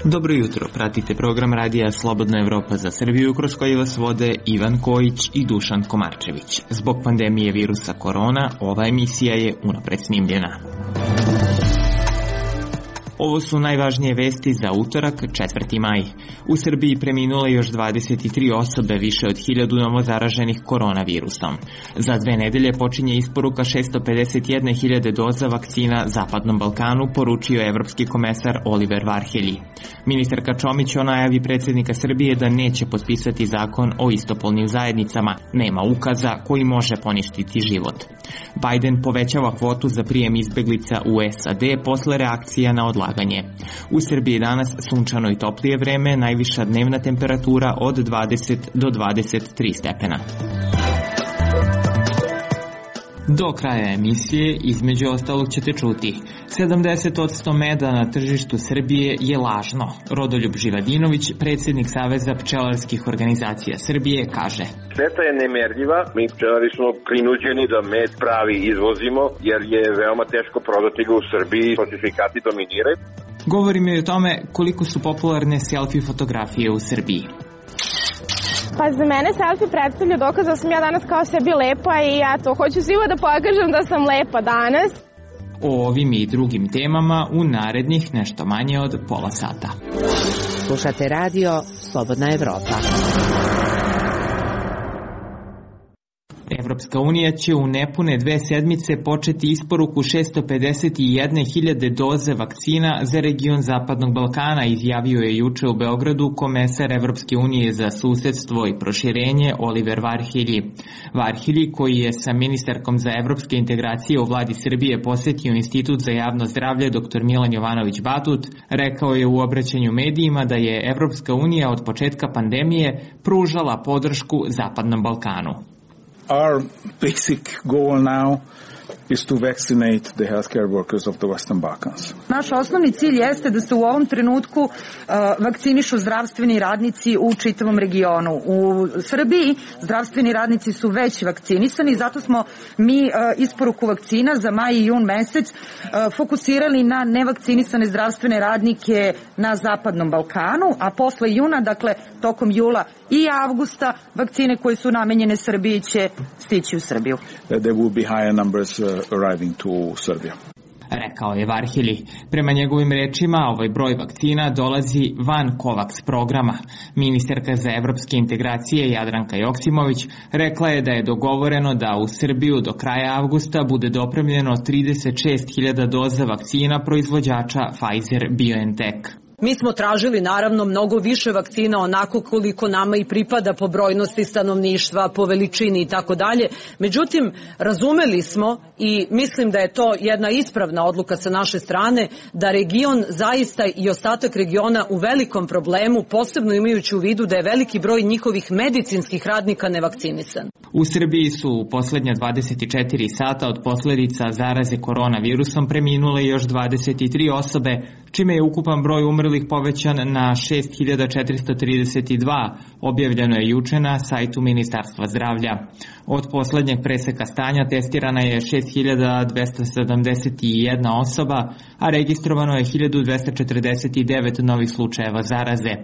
Dobro jutro, pratite program radija Slobodna Evropa za Srbiju kroz koji vas vode Ivan Kojić i Dušan Komarčević. Zbog pandemije virusa korona, ova emisija je unapred snimljena. Ovo su najvažnije vesti za utorak, 4. maj. U Srbiji preminule još 23 osobe, više od 1000 novozaraženih koronavirusom. Za 2 nedelje počinje isporuka 651.000 doza vakcina Zapadnom Balkanu, poručio je evropski komesar Oliver Varhelyi. Ministarka Čomić o najavi predsjednika Srbije da neće potpisati zakon o istopolnim zajednicama, nema ukaza koji može poništiti život. Biden povećava kvotu za prijem izbeglica u SAD posle reakcija na odlaganje. U Srbiji danas sunčano i toplije vreme, najviša dnevna temperatura od 20 do 23 stepena. Do kraja emisije, između ostalog, ćete čuti: 70% meda na tržištu Srbije je lažno. Rodoljub Živadinović, predsjednik Saveza pčelarskih organizacija Srbije, kaže: Šteta je nemerljiva, mi pčelari smo prinuđeni da med pravi izvozimo, jer je veoma teško prodati ga u Srbiji, falsifikati dominiraju. Govorimo i o tome koliko su popularne selfie fotografije u Srbiji. Pa za mene selfie predstavlja dokaz da sam ja danas kao sebi lepa i ja to hoću svima da pokažem da sam lepa danas. O ovim i drugim temama u narednih nešto manje od pola sata. Slušate radio Slobodna Evropa. Evropska unija će u nepune 2 sedmice početi isporuku 651.000 doze vakcina za region Zapadnog Balkana, izjavio je juče u Beogradu komesar Evropske unije za susedstvo i proširenje Oliver Varhelyi. Varhelyi, koji je sa ministarkom za evropske integracije u vladi Srbije posetio Institut za javno zdravlje dr. Milan Jovanović Batut, rekao je u obraćanju medijima da je Evropska unija od početka pandemije pružala podršku Zapadnom Balkanu. Our basic goal now is to vaccinate the healthcare workers of the Western Balkans. Naš osnovni cilj jeste da se u ovom trenutku vakcinišu zdravstveni radnici u čitavom regionu. U Srbiji zdravstveni radnici su već vakcinisani, zato smo mi isporuku vakcina za maj i jun mesec fokusirali na nevakcinisane zdravstvene radnike na Zapadnom Balkanu, a posle juna, dakle tokom jula i avgusta, vakcine koje su namenjene Srbiji će stići u Srbiju. There will be higher numbers arriving to Serbia. Rekao je Varhelyi. Prema njegovim rečima, ovaj broj vakcina dolazi van COVAX programa. Ministarka za evropske integracije Jadranka Joksimović rekla je da je dogovoreno da u Srbiju do kraja avgusta bude dopremljeno 36.000 doza vakcina proizvođača Pfizer-BioNTech. Mi smo tražili naravno mnogo više vakcina, onako koliko nama i pripada po brojnosti stanovništva, po veličini i tako dalje. Međutim, razumeli smo i mislim da je to jedna ispravna odluka sa naše strane, da region zaista i ostatak regiona u velikom problemu, posebno imajući u vidu da je veliki broj njihovih medicinskih radnika nevakcinisan. U Srbiji su u poslednja 24 sata od posledica zaraze koronavirusom preminule još 23 osobe, čime je ukupan broj umrlih povećan na 6.432, objavljeno je juče na sajtu Ministarstva zdravlja. Od poslednjeg preseka stanja testirana je 6.271 osoba, a registrovano je 1.249 novih slučajeva zaraze.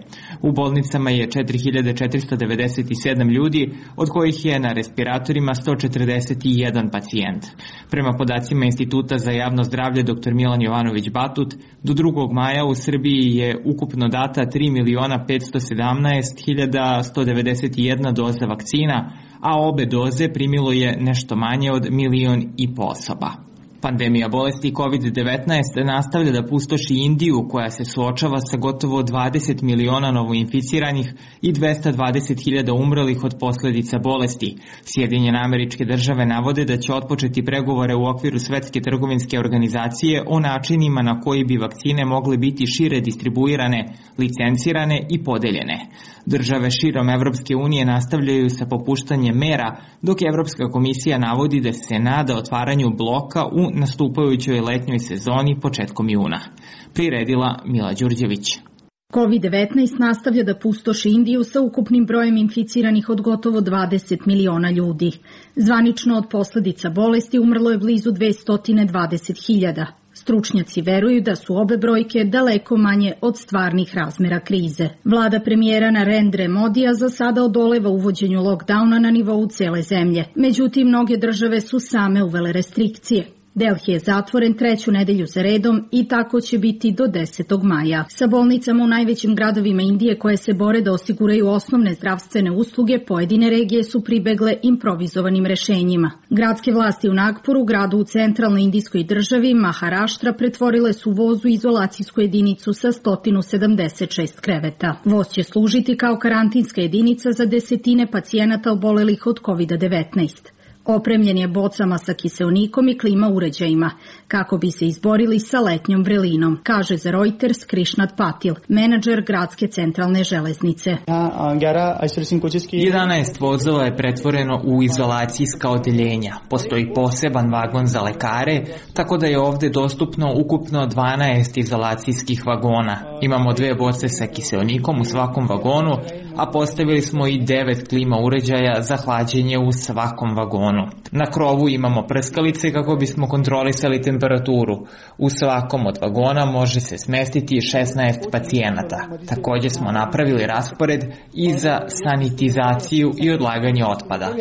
U bolnicama je 4.497 ljudi, od kojih je na respiratorima 141 pacijent. Prema podacima Instituta za javno zdravlje dr. Milan Jovanović Batut, do 2. maja u Srbiji je ukupno data 3.517.191 doza vakcina, a obe doze primilo je nešto manje od 1,5 miliona osoba. Pandemija bolesti COVID-19 nastavlja da pustoši Indiju, koja se suočava sa gotovo 20 miliona novoinficiranih i 220.000 umrlih od posledica bolesti. Sjedinjene Američke Države navode da će otpočeti pregovore u okviru Svetske trgovinske organizacije o načinima na koji bi vakcine mogle biti šire distribuirane, licencirane i podeljene. Države širom Evropske unije nastavljaju sa popuštanjem mera, dok Evropska komisija navodi da se nada otvaranju bloka u nastupajućoj letnjoj sezoni početkom juna. Priredila Mila Đurđević. COVID-19 nastavlja da pustoši Indiju sa ukupnim brojem inficiranih od gotovo 20 miliona ljudi. Zvanično od posledica bolesti umrlo je blizu 220.000. Stručnjaci veruju da su obe brojke daleko manje od stvarnih razmera krize. Vlada premijera Narendre Modija za sada odoleva uvođenju lockdowna na nivou cele zemlje. Međutim, mnoge države su same uvele restrikcije. Delhi je zatvoren 3. nedelju za redom i tako će biti do 10. maja. Sa bolnicama u najvećim gradovima Indije koje se bore da osiguraju osnovne zdravstvene usluge, pojedine regije su pribegle improvizovanim rešenjima. Gradske vlasti u Nagpuru, gradu u centralnoj indijskoj državi, Maharaštra, pretvorile su voz u izolacijsku jedinicu sa 176 kreveta. Voz će služiti kao karantinska jedinica za desetine pacijenata obolelih od COVID-19. Opremljen je bocama sa kiseonikom i klima uređajima, kako bi se izborili sa letnjom vrelinom, kaže za Reuters Krishnat Patil, menadžer gradske centralne železnice. 11 vozova je pretvoreno u izolacijska odeljenja. Postoji poseban vagon za lekare, tako da je ovde dostupno ukupno 12 izolacijskih vagona. Imamo 2 boce sa kiseonikom u svakom vagonu, a postavili smo i 9 klima uređaja za hlađenje u svakom vagonu. Na krovu imamo prskalice kako bismo kontrolisali temperaturu. U svakom od vagona može se smestiti 16 pacijenata. Takođe smo napravili raspored i za sanitizaciju i odlaganje otpada.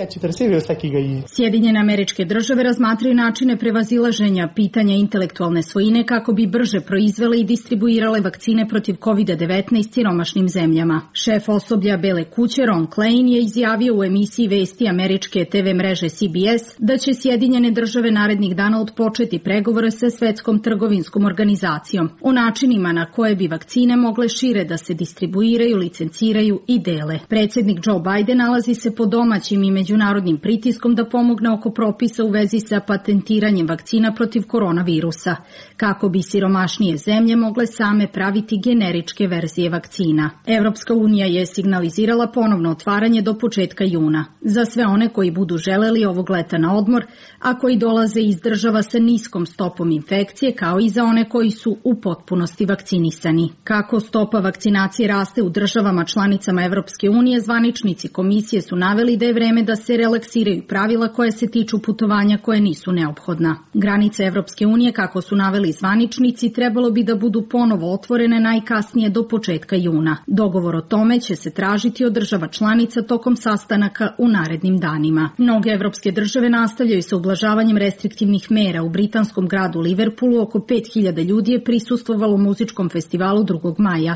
Sjedinjene Američke Države razmatraju načine prevazilaženja pitanja intelektualne svojine kako bi brže proizvele i distribuirale vakcine protiv COVID-19 siromašnim zemljama. Šef osoblja Bele kuće Ron Klain je izjavio u emisiji vesti američke TV mreže CBS da će Sjedinjene Države narednih dana odpočeti pregovore sa Svetskom trgovinskom organizacijom o načinima na koje bi vakcine mogle šire da se distribuiraju, licenciraju i dele. Predsjednik Joe Biden nalazi se pod domaćim i međunarodnim pritiskom da pomogne oko propisa u vezi sa patentiranjem vakcina protiv koronavirusa, kako bi siromašnije zemlje mogle same praviti generičke verzije vakcina. Evropska unija je signalizirala ponovno otvaranje do početka juna. Za sve one koji budu želeli ovog leta na odmor, a koji dolaze iz država sa niskom stopom infekcije, kao i za one koji su u potpunosti vakcinisani. Kako stopa vakcinacije raste u državama članicama Evropske unije, zvaničnici komisije su naveli da je vreme da se relaksiraju pravila koje se tiču putovanja koje nisu neophodna. Granice Evropske unije, kako su naveli zvaničnici, trebalo bi da budu ponovo otvorene najkasnije do početka juna. Dogovor o tome će se tražiti od država članica tokom sastanaka u narednim danima. Mnoge evropske države nastavljaju sa ublažavanjem restriktivnih mera. U britanskom gradu Liverpoolu oko 5000 ljudi je prisustvovalo muzičkom festivalu 2. maja.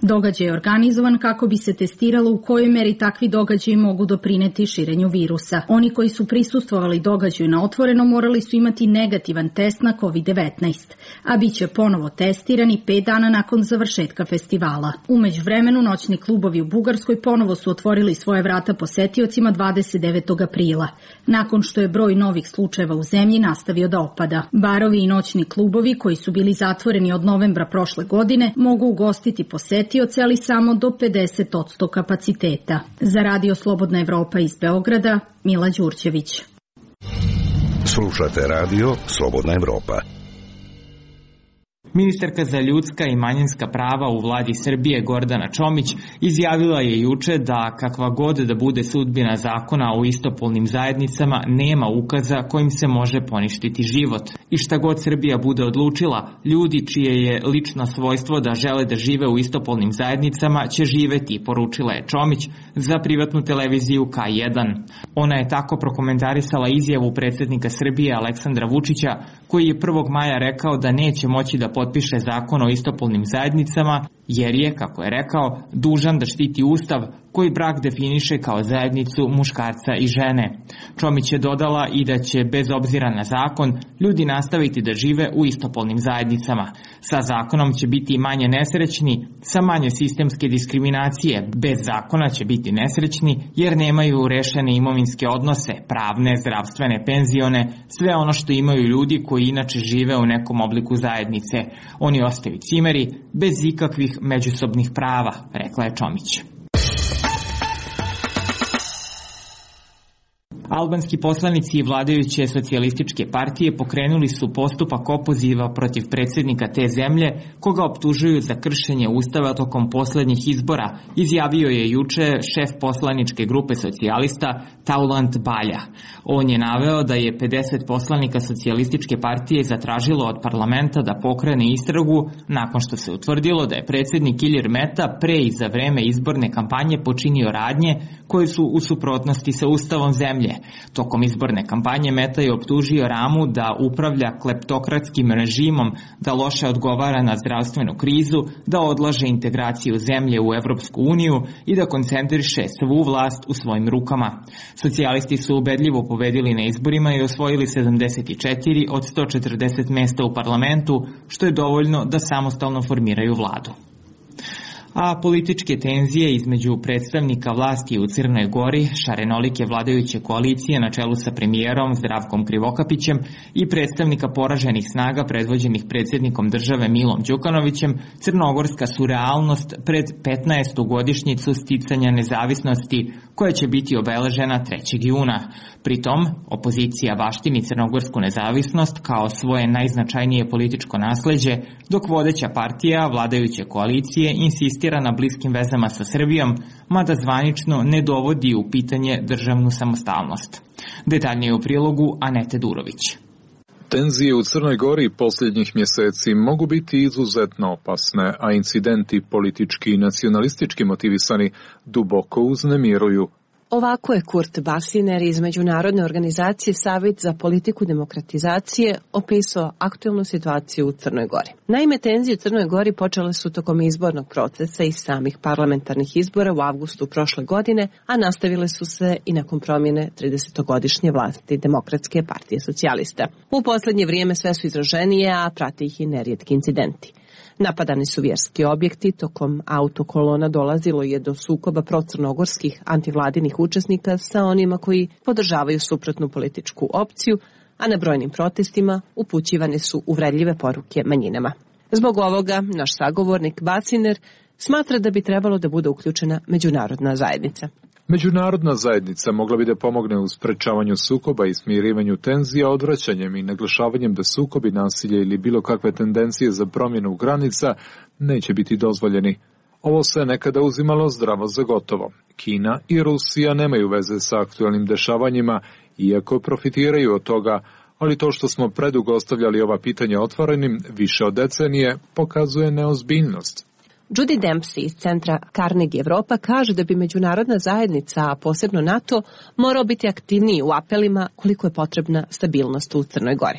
Događaj je organizovan kako bi se testiralo u kojoj meri takvi događaji mogu doprineti širenju virusa. Oni koji su prisustvovali događaju na otvoreno morali su imati negativan test na COVID-19, a bit će ponovo testirani 5 dana nakon završetka festivala. U međuvremenu noćni klubovi u Bugarskoj ponovo su otvorili svoje vrata posetiocima 29. aprila, nakon što je broj novih slučajeva u zemlji nastavio da opada. Barovi i noćni klubovi koji su bili zatvoreni od novembra prošle godine mogu ugostiti posetioce, ali samo do 50% kapaciteta. Za Radio Slobodna Evropa iz Beograda, Mila Đurđević. Slušate Radio Slobodna Evropa. Ministarka za ljudska i manjinska prava u vladi Srbije Gordana Čomić izjavila je juče da kakva god da bude sudbina zakona o istopolnim zajednicama nema ukaza kojim se može poništiti život. I šta god Srbija bude odlučila, ljudi čije je lično svojstvo da žele da žive u istopolnim zajednicama će živeti, poručila je Čomić za privatnu televiziju K1. Ona je tako prokomentarisala izjavu predsjednika Srbije Aleksandra Vučića, koji je 1. maja rekao da neće moći da potpiše zakon o istopolnim zajednicama, jer je, kako je rekao, dužan da štiti Ustav koji brak definiše kao zajednicu muškarca i žene. Čomić je dodala i da će, bez obzira na zakon, ljudi nastaviti da žive u istopolnim zajednicama. Sa zakonom će biti manje nesrećni, sa manje sistemske diskriminacije. Bez zakona će biti nesrećni jer nemaju rešene imovinske odnose, pravne, zdravstvene, penzione, sve ono što imaju ljudi koji inače žive u nekom obliku zajednice. Oni ostaju cimeri, bez ikakvih međusobnih prava, rekla je Čomić. Albanski poslanici i vladajuće socijalističke partije pokrenuli su postupak opoziva protiv predsjednika te zemlje, koga optužuju za kršenje ustava tokom poslednjih izbora, izjavio je juče šef poslaničke grupe socijalista Taulant Balja. On je naveo da je 50 poslanika socijalističke partije zatražilo od parlamenta da pokrene istragu nakon što se utvrdilo da je predsjednik Ilir Meta pre i za vreme izborne kampanje počinio radnje koje su u suprotnosti sa ustavom zemlje. Tokom izborne kampanje Meta je optužio Ramu da upravlja kleptokratskim režimom, da loše odgovara na zdravstvenu krizu, da odlaže integraciju zemlje u Evropsku uniju i da koncentriše svu vlast u svojim rukama. Socijalisti su ubedljivo pobedili na izborima i osvojili 74 od 140 mesta u parlamentu, što je dovoljno da samostalno formiraju vladu. A političke tenzije između predstavnika vlasti u Crnoj Gori, šarenolike vladajuće koalicije na čelu sa premijerom Zdravkom Krivokapićem i predstavnika poraženih snaga predvođenih predsjednikom države Milom Đukanovićem, crnogorska su realnost pred 15. godišnjicu sticanja nezavisnosti koja će biti obeležena 3. juna. Pritom, opozicija baštini crnogorsku nezavisnost kao svoje najznačajnije političko nasleđe, dok vodeća partija vladajuće koalicije insistira na bliskim vezama sa Srbijom, mada zvanično ne dovodi u pitanje državnu samostalnost. Detaljnije u prilogu Anete Durović. Tenzije u Crnoj Gori posljednjih mjeseci mogu biti izuzetno opasne, a incidenti politički i nacionalistički motivisani duboko uznemiruju. Ovako je Kurt Basiner iz Međunarodne organizacije Savjet za politiku demokratizacije opisao aktualnu situaciju u Crnoj Gori. Naime, tenzije u Crnoj Gori počele su tokom izbornog procesa i samih parlamentarnih izbora u avgustu prošle godine, a nastavile su se i nakon promjene 30-godišnje vlasti Demokratske partije socijalista. U posljednje vrijeme sve su izraženije, a prate ih i nerijetki incidenti. Napadani su vjerski objekti, tokom autokolona dolazilo je do sukoba procrnogorskih antivladinih učesnika sa onima koji podržavaju suprotnu političku opciju, a na brojnim protestima upućivane su uvredljive poruke manjinama. Zbog ovoga, naš sagovornik Basiner smatra da bi trebalo da bude uključena međunarodna zajednica. Međunarodna zajednica mogla bi da pomogne u sprečavanju sukoba i smirivanju tenzija odvraćanjem i naglašavanjem da sukobi, nasilje ili bilo kakve tendencije za promjenu granica neće biti dozvoljeni. Ovo se nekada uzimalo zdravo za gotovo. Kina i Rusija nemaju veze sa aktualnim dešavanjima, iako profitiraju od toga, ali to što smo predugo ostavljali ova pitanja otvorenim više od decenije pokazuje neozbiljnost. Judy Dempsey iz centra Carnegie Evropa kaže da bi međunarodna zajednica, a posebno NATO, morao biti aktivniji u apelima koliko je potrebna stabilnost u Crnoj Gori.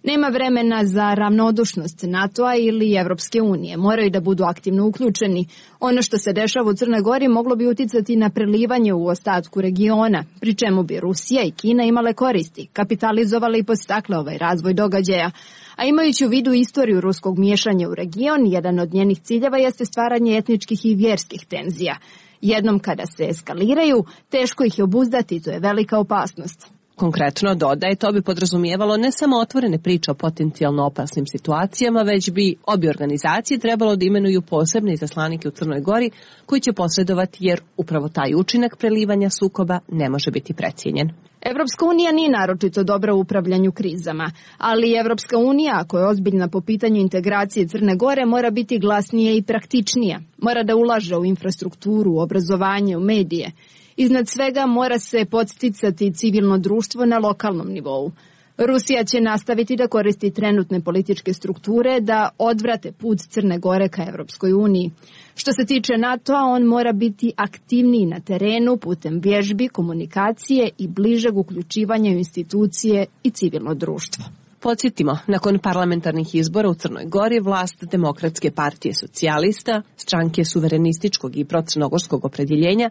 Nema vremena za ravnodušnost NATO-a ili Evropske unije. Moraju da budu aktivno uključeni. Ono što se dešava u Crnoj Gori moglo bi uticati na prelivanje u ostatku regiona, pri čemu bi Rusija i Kina imale koristi, kapitalizovale i podstakle ovaj razvoj događaja. A imajući u vidu istoriju ruskog miješanja u region, jedan od njenih ciljeva jeste stvaranje etničkih i vjerskih tenzija. Jednom kada se eskaliraju, teško ih je obuzdati, to je velika opasnost. Konkretno dodaje, to bi podrazumijevalo ne samo otvorene priče o potencijalno opasnim situacijama, već bi obje organizacije trebalo da imenuju posebne izaslanike u Crnoj Gori koji će posredovati, jer upravo taj učinak prelivanja sukoba ne može biti precijenjen. Evropska unija nije naročito dobra u upravljanju krizama, ali Evropska unija, ako je ozbiljna po pitanju integracije Crne Gore, mora biti glasnija i praktičnija. Mora da ulaže u infrastrukturu, u obrazovanje, u medije. Iznad svega mora se podsticati civilno društvo na lokalnom nivou. Rusija će nastaviti da koristi trenutne političke strukture da odvrate put Crne Gore ka Evropskoj uniji. Što se tiče NATO-a, on mora biti aktivniji na terenu putem vježbi, komunikacije i bližeg uključivanja u institucije i civilno društvo. Podsjetimo, nakon parlamentarnih izbora u Crnoj Gori, vlast Demokratske partije socijalista, stranke suverenističkog i procrnogorskog opredjeljenja,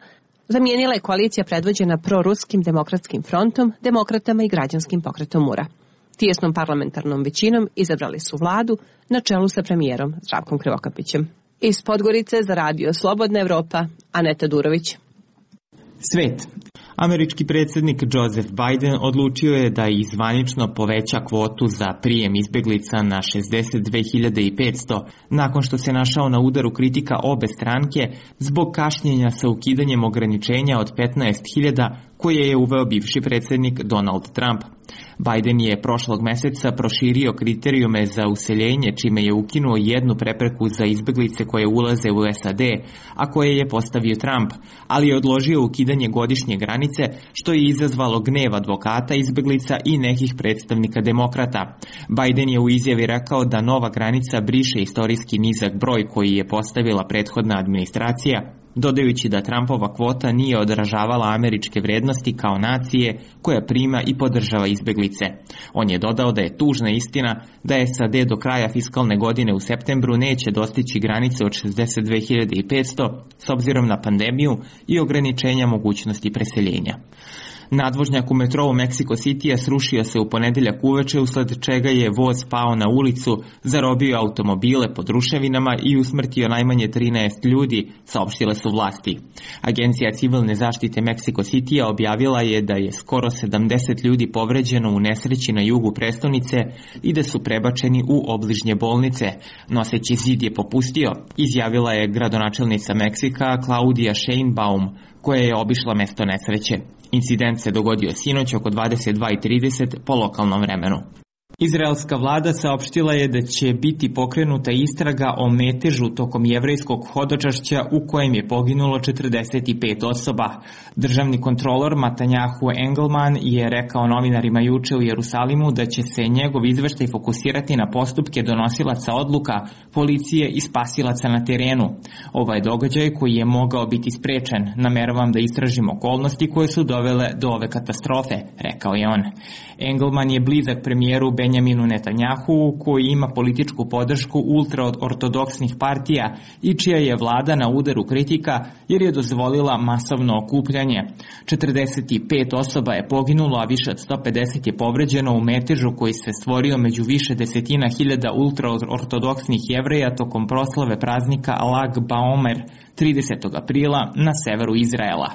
zamijenila je koalicija predvođena proruskim demokratskim frontom, demokratama i građanskim pokretom Mura. Tijesnom parlamentarnom većinom izabrali su vladu na čelu sa premijerom Zdravkom Krivokapićem. Iz Podgorice za radio Slobodna Evropa, Aneta Durović. Svet. Američki predsjednik Joseph Biden odlučio je da i zvanično poveća kvotu za prijem izbeglica na 62.500 nakon što se našao na udaru kritika obe stranke zbog kašnjenja sa ukidanjem ograničenja od 15.000 koje je uveo bivši predsjednik Donald Trump. Biden je prošlog meseca proširio kriterijume za useljenje, čime je ukinuo jednu prepreku za izbeglice koje ulaze u SAD, a koje je postavio Trump, ali je odložio ukidanje godišnje granice, što je izazvalo gnev advokata izbeglica i nekih predstavnika demokrata. Biden je u izjavi rekao da nova granica briše istorijski nizak broj koji je postavila prethodna administracija, dodajući da Trumpova kvota nije odražavala američke vrednosti kao nacije koja prima i podržava izbeglice. On je dodao da je tužna istina da SAD do kraja fiskalne godine u septembru neće dostići granice od 62.500 s obzirom na pandemiju i ograničenja mogućnosti preseljenja. Nadvožnjak u metrou Mexico City-a srušio se u ponedeljak uveče, usled čega je voz pao na ulicu, zarobio automobile pod ruševinama i usmrtio najmanje 13 ljudi, saopštile su vlasti. Agencija civilne zaštite Mexico City-a objavila je da je skoro 70 ljudi povređeno u nesreći na jugu prestonice i da su prebačeni u obližnje bolnice. Noseći zid je popustio, izjavila je gradonačelnica Meksika Claudia Sheinbaum, koja je obišla mesto nesreće. Incident se dogodio sinoć oko 22:30 po lokalnom vremenu. Izraelska vlada saopštila je da će biti pokrenuta istraga o metežu tokom jevrejskog hodočašća u kojem je poginulo 45 osoba. Državni kontrolor Matanjahu Engelman je rekao novinarima juče u Jerusalimu da će se njegov izveštaj fokusirati na postupke donosilaca odluka, policije i spasilaca na terenu. Ovaj događaj koji je mogao biti sprečen, nameravam da istražim okolnosti koje su dovele do ove katastrofe, rekao je on. Engelman je blizak premijeru Benjaminu Netanjahu, koji ima političku podršku ultraortodoksnih partija i čija je vlada na udaru kritika jer je dozvolila masovno okupljanje. 45 osoba je poginulo, a više od 150 je povređeno u metežu koji se stvorio među više desetina hiljada ultraortodoksnih Jevreja tokom proslave praznika Lag Baomer 30. aprila na severu Izraela.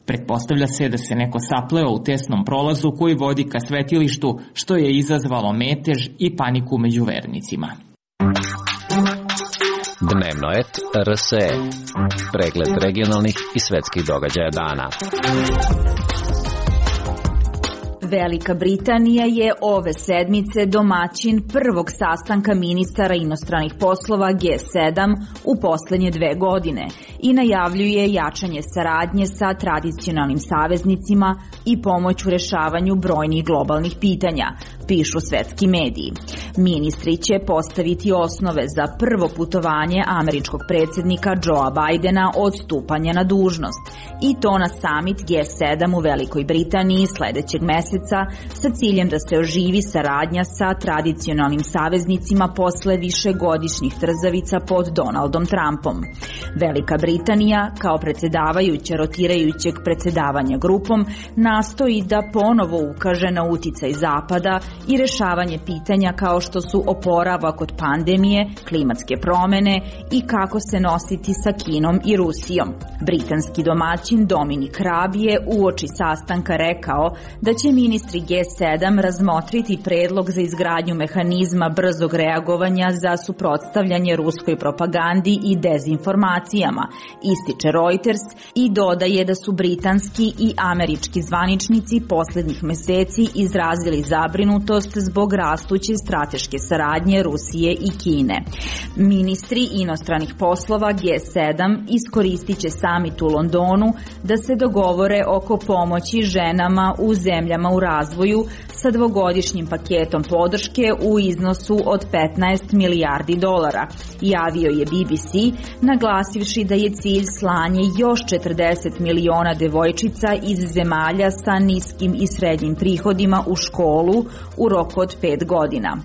Pretpostavlja se da se neko sapleo u tesnom prolazu koji vodi ka svetilištu, što je izazvalo metež i paniku među vernicima. Dnevnoet RSE. Pregled regionalnih i svetskih događaja dana. Velika Britanija je ove sedmice domaćin prvog sastanka ministara inostranih poslova G7 u poslednje 2 godine i najavljuje jačanje saradnje sa tradicionalnim saveznicima i pomoć u rešavanju brojnih globalnih pitanja, pišu svetski mediji. Ministri će postaviti osnove za prvo putovanje američkog predsjednika Joea Bidena od stupanja na dužnost i to na summit G7 u Velikoj Britaniji sledećeg meseca sa ciljem da se oživi saradnja sa tradicionalnim saveznicima posle višegodišnjih trzavica pod Donaldom Trumpom. Velika Britanija, kao predsjedavajuća rotirajućeg predsjedavanja grupom, nastoji da ponovo ukaže na uticaj Zapada i rešavanje pitanja kao što su oporavak od pandemije, klimatske promene i kako se nositi sa Kinom i Rusijom. Britanski domaćin Dominic Raab je uoči sastanka rekao da će ministri G7 razmotriti predlog za izgradnju mehanizma brzog reagovanja za suprotstavljanje ruskoj propagandi i dezinformacijama, ističe Reuters i dodaje da su britanski i američki zvaničnici poslednjih meseci izrazili zabrinutost zbog rastuće strateške saradnje Rusije i Kine. Ministri inostranih poslova G7 iskoristit će samit u Londonu da se dogovore oko pomoći ženama u zemljama u razvoju sa dvogodišnjim paketom podrške u iznosu od $15 milijardi, javio je BBC, naglasivši da je cilj slanje još 40 miliona devojčica iz zemalja sa niskim i srednjim prihodima u školu u roku od 5 godina.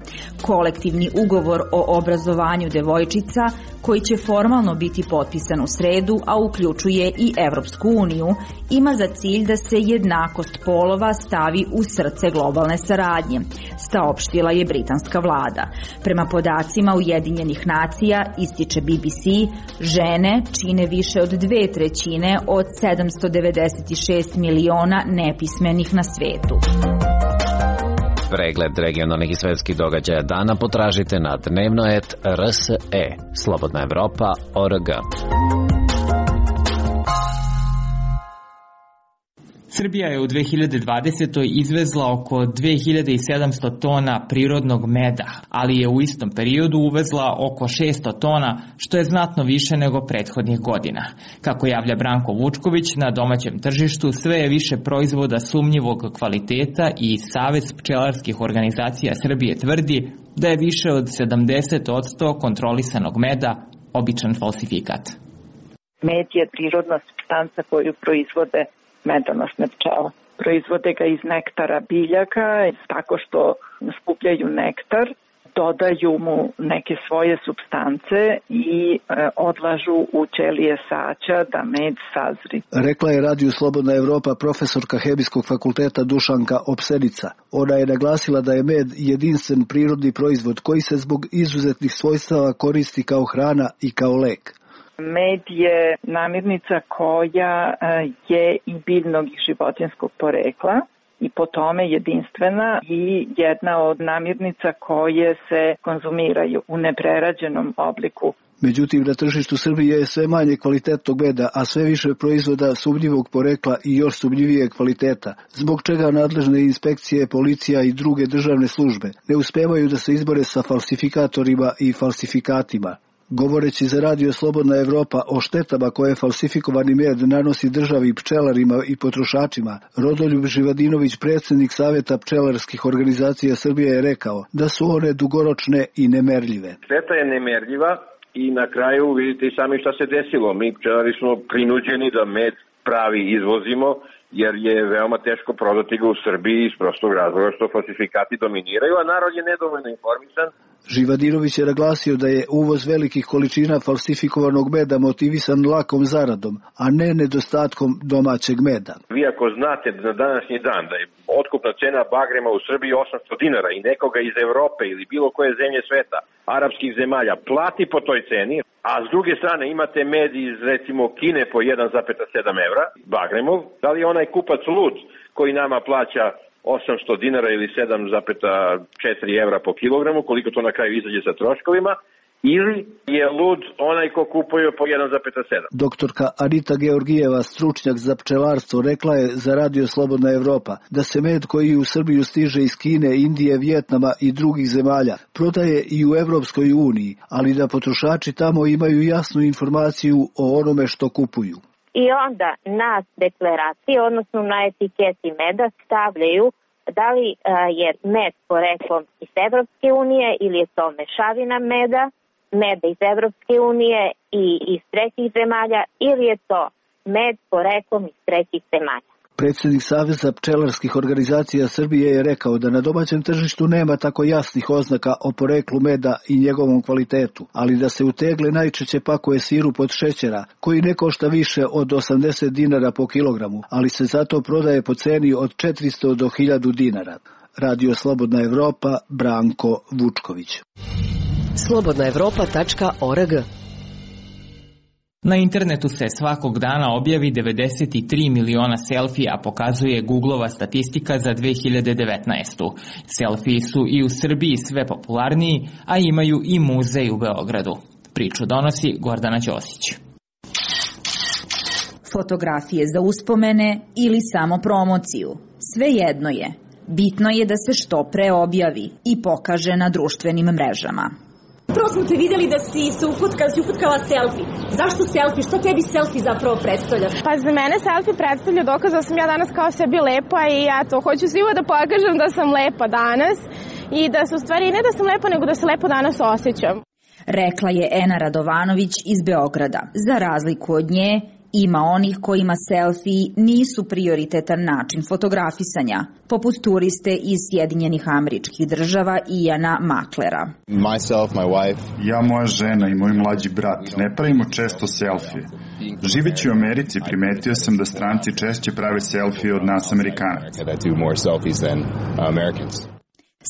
Kolektivni ugovor o obrazovanju devojčica, koji će formalno biti potpisan u sredu, a uključuje i Evropsku uniju, ima za cilj da se jednakost polova stavi u srce globalne saradnje, saopštila je britanska vlada. Prema podacima Ujedinjenih nacija, ističe BBC, žene čine više od 2/3 od 796 miliona nepismenih na svetu. Pregled regionalnih i svetskih događaja dana potražite na dnevnoet.rse. Slobodna Evropa.org. Srbija je u 2020. izvezla oko 2700 tona prirodnog meda, ali je u istom periodu uvezla oko 600 tona, što je znatno više nego prethodnih godina. Kako javlja Branko Vučković, na domaćem tržištu sve je više proizvoda sumnjivog kvaliteta i Savez pčelarskih organizacija Srbije tvrdi da je više od 70% kontrolisanog meda običan falsifikat. Med je prirodna supstanca koju proizvode medonosne pčele. Proizvode ga iz nektara biljaka, tako što skupljaju nektar, dodaju mu neke svoje supstance i odlažu u ćelije saća da med sazri. Rekla je Radiju Slobodna Evropa profesorka Hemijskog fakulteta Dušanka Opsenica. Ona je naglasila da je med jedinstven prirodni proizvod koji se zbog izuzetnih svojstava koristi kao hrana i kao lek. Med je namirnica koja je i biljnog i životinjskog porekla i po tome jedinstvena i jedna od namirnica koje se konzumiraju u neprerađenom obliku. Međutim, na tržištu Srbije je sve manje kvalitetnog meda, a sve više proizvoda sumnjivog porekla i još sumnjivije kvaliteta, zbog čega nadležne inspekcije, policija i druge državne službe ne uspevaju da se izbore sa falsifikatorima i falsifikatima. Govoreći za Radio Slobodna Evropa o štetama koje falsifikovani med nanosi državi, pčelarima i potrošačima, Rodoljub Živadinović, predsjednik Saveta pčelarskih organizacija Srbije, je rekao da su one dugoročne i nemerljive. Šteta je nemerljiva i na kraju vidite i sami šta se desilo. Mi pčelari smo prinuđeni da med pravi izvozimo, jer je veoma teško prodati ga u Srbiji iz prostog razloga što falsifikati dominiraju, a narod je nedovoljno informisan. Živadinović je naglasio da je uvoz velikih količina falsifikovanog meda motivisan lakom zaradom, a ne nedostatkom domaćeg meda. Vi ako znate na današnji dan da je otkupna cena bagrema u Srbiji 800 dinara i nekoga iz Evrope ili bilo koje zemlje sveta, arapskih zemalja, plati po toj ceni, a s druge strane imate med iz recimo Kine po 1,7 evra, bagremov, da li je onaj kupac lud koji nama plaća 800 dinara ili 7,4 evra po kilogramu, koliko to na kraju izađe sa troškovima, ili je lud onaj ko kupuje po 1,7. Doktorka Anita Georgijeva, stručnjak za pčelarstvo, rekla je za Radio Slobodna Evropa da se med koji u Srbiju stiže iz Kine, Indije, Vijetnama i drugih zemalja prodaje i u Evropskoj uniji, ali da potrošači tamo imaju jasnu informaciju o onome što kupuju. I onda na deklaraciji, odnosno na etiketi meda stavljaju da li je med poreklom iz Evropske unije ili je to mešavina meda iz Evropske unije i iz trećih zemalja ili je to med poreklom iz trećih zemalja. Predsjednik Saveza pčelarskih organizacija Srbije je rekao da na domaćem tržištu nema tako jasnih oznaka o poreklu meda i njegovom kvalitetu, ali da se u tegle najčešće pakuje sirup od šećera, koji ne košta više od 80 dinara po kilogramu, ali se zato prodaje po ceni od 400 do 1000 dinara. Radio Slobodna Evropa, Branko Vučković. slobodnaevropa.org. Na internetu se svakog dana objavi 93 miliona selfija, pokazuje Googleova statistika za 2019. Selfiji su i u Srbiji sve popularniji, a imaju i muzej u Beogradu. Priču donosi Gordana Ćosić. Fotografije za uspomene ili samo promociju. Svejedno je. Bitno je da se što pre objavi i pokaže na društvenim mrežama. Prvo smo te vidjeli da si se ufutkala selfie. Zašto selfie? Što tebi selfie zapravo predstavlja? Pa za mene selfie predstavlja dokaz da sam ja danas kao sebi lepa i ja to hoću svima da pokažem da sam lepa danas i da se u stvari ne da sam lepa, nego da se lepo danas osjećam. Rekla je Ena Radovanović iz Beograda. Za razliku od nje, Ima onih kojima selfiji nisu prioritetan način fotografisanja, poput turiste iz Sjedinjenih Američkih Država Iana Maklera. Ja, moja žena i moj mlađi brat ne pravimo često selfije. Živeći u Americi primetio sam da stranci češće prave selfije od nas Amerikanaca.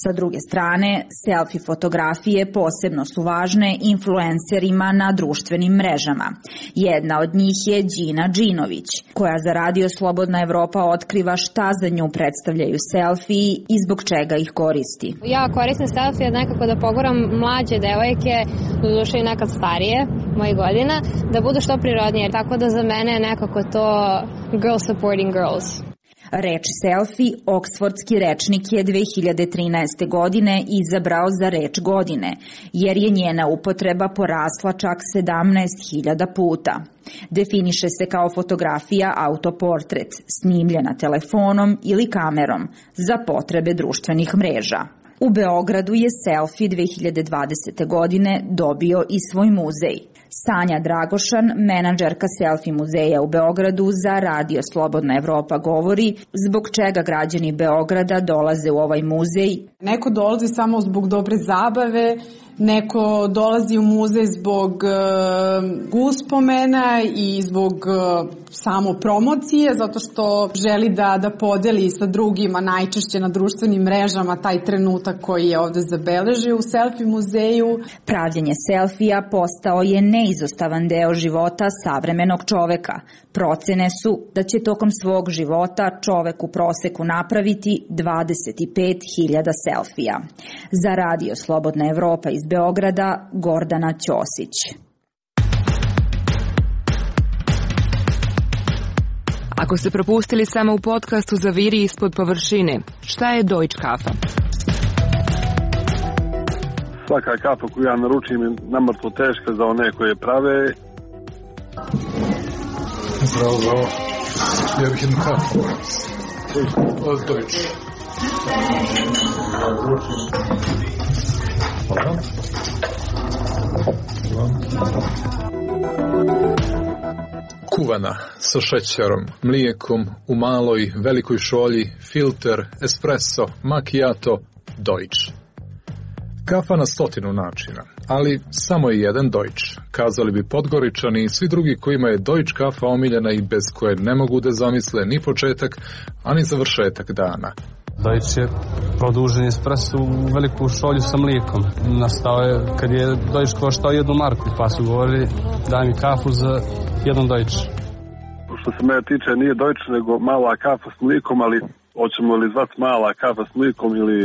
Sa druge strane, selfie fotografije posebno su važne influencerima na društvenim mrežama. Jedna od njih je Đina Đinović, koja za Radio Slobodna Evropa otkriva šta za nju predstavljaju selfiji i zbog čega ih koristi. Ja koristim selfije nekako da poguram mlađe devojke, doduše i nekad starije, mojih godina, da budu što prirodnije. Tako da za mene je nekako to girl supporting girls. Reč selfie Oksfordski rečnik je 2013. godine izabrao za reč godine, jer je njena upotreba porasla čak 17.000 puta. Definiše se kao fotografija autoportret, snimljena telefonom ili kamerom za potrebe društvenih mreža. U Beogradu je selfie 2020. godine dobio i svoj muzej. Sanja Dragošan, menadžerka selfie muzeja u Beogradu za Radio Slobodna Evropa govori zbog čega građani Beograda dolaze u ovaj muzej. Neko dolazi samo zbog dobre zabave, neko dolazi u muzej zbog uspomena i zbog samo promocije, zato što želi da podeli sa drugima najčešće na društvenim mrežama taj trenutak koji je ovde zabeležio u selfie muzeju. Pravljenje selfija postao je neizostavan deo života savremenog čoveka. Procene su da će tokom svog života čovek u proseku napraviti 25.000 selfija. Za Radio Slobodna Evropa iz Beograda, Gordana Ćosić. Ako ste propustili samo u podcastu Zaviri ispod površine, šta je Deutsche Kafa? Svaka kafa koju ja naručim je namrtno teška za one koje prave. Zdravo, zdravo. Ja bih jednu kafu. Od Deutsche. Hvala. Kuvana, sa šećerom, mlijekom, u maloj, velikoj šolji, filter, espresso, macchiato, Deutsche. Kafa na 100 načina, ali samo je jedan Deutsche. Kazali bi Podgoričani i svi drugi kojima je Deutsche kafa omiljena i bez koje ne mogu da zamisle ni početak, a ni završetak dana. Deutsche je produžen espresso u veliku šolju sa mlijekom. Nastao je kad je Deutsche koštao 1 marku, pa su govorili daj mi kafu za 1 Deutsche. Što se mene tiče nije Deutsche nego mala kafa s mlijekom, ali hoćemo li zvati mala kafa s mlijekom ili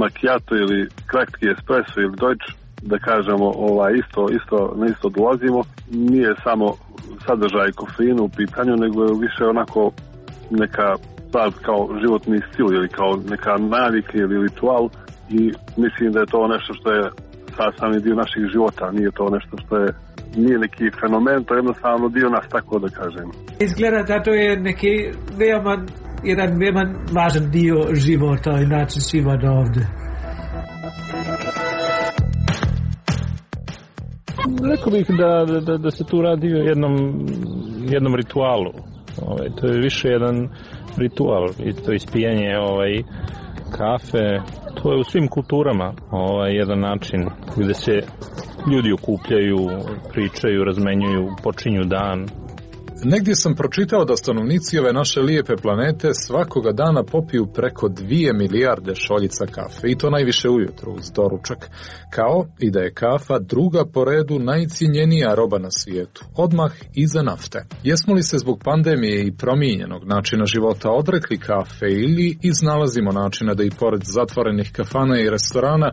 macchiato ili kratki espresso ili Deutsche, da kažemo na isto dolazimo. Nije samo sadržaj kofeina u pitanju, nego je više onako neka kao životni stil ili kao neka navika ili ritual i mislim da je to nešto što je sastavni dio naših života, nije to nešto što je nije neki fenomen, to je jednostavno dio nas, tako da kažem. Izgleda da to je neki jedan veoma važan dio života i način života ovde. Rekao bih da se tu radi o jednom ritualu. To je više jedan ritual, to ispijanje kafe, to je u svim kulturama jedan način gde se ljudi okupljaju, pričaju, razmenjuju, počinju dan. Negdje sam pročitao da stanovnici ove naše lijepe planete svakoga dana popiju preko 2 milijarde šoljica kafe i to najviše ujutru uz doručak, kao i da je kafa druga po redu najcijenjenija roba na svijetu, odmah iza nafte. Jesmo li se zbog pandemije i promijenjenog načina života odrekli kafe ili iznalazimo načina da i pored zatvorenih kafana i restorana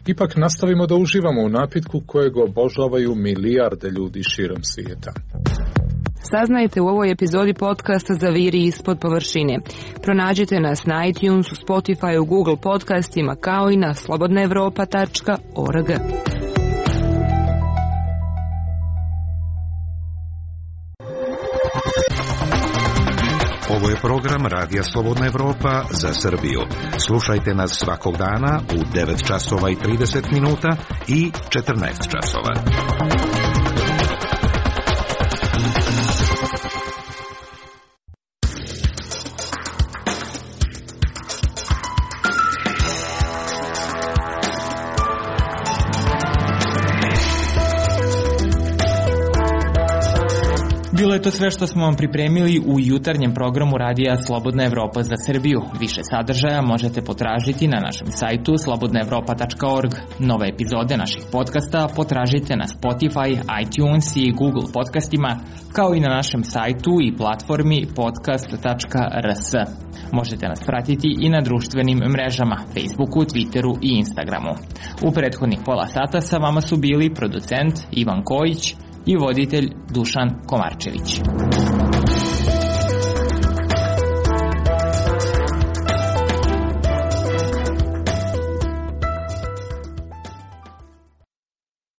ipak nastavimo da uživamo u napitku kojeg obožavaju milijarde ljudi širom svijeta? Saznajte u ovoj epizodi podcasta Zaviri ispod površine. Pronađite nas na iTunesu, Spotify, Google podcastima kao i na slobodnaevropa.org. Ovo je program Radija Slobodna Evropa za Srbiju. Slušajte nas svakog dana u 9 časova i 30 minuta i 14 časova. Bilo je to sve što smo vam pripremili u jutarnjem programu radija Slobodna Evropa za Srbiju. Više sadržaja možete potražiti na našem sajtu slobodnaevropa.org. Nove epizode naših podcasta potražite na Spotify, iTunes i Google podcastima, kao i na našem sajtu i platformi podcast.rs. Možete nas pratiti i na društvenim mrežama, Facebooku, Twitteru i Instagramu. U prethodnih pola sata sa vama su bili producent Ivan Kojić i voditelj Dušan Komarčević.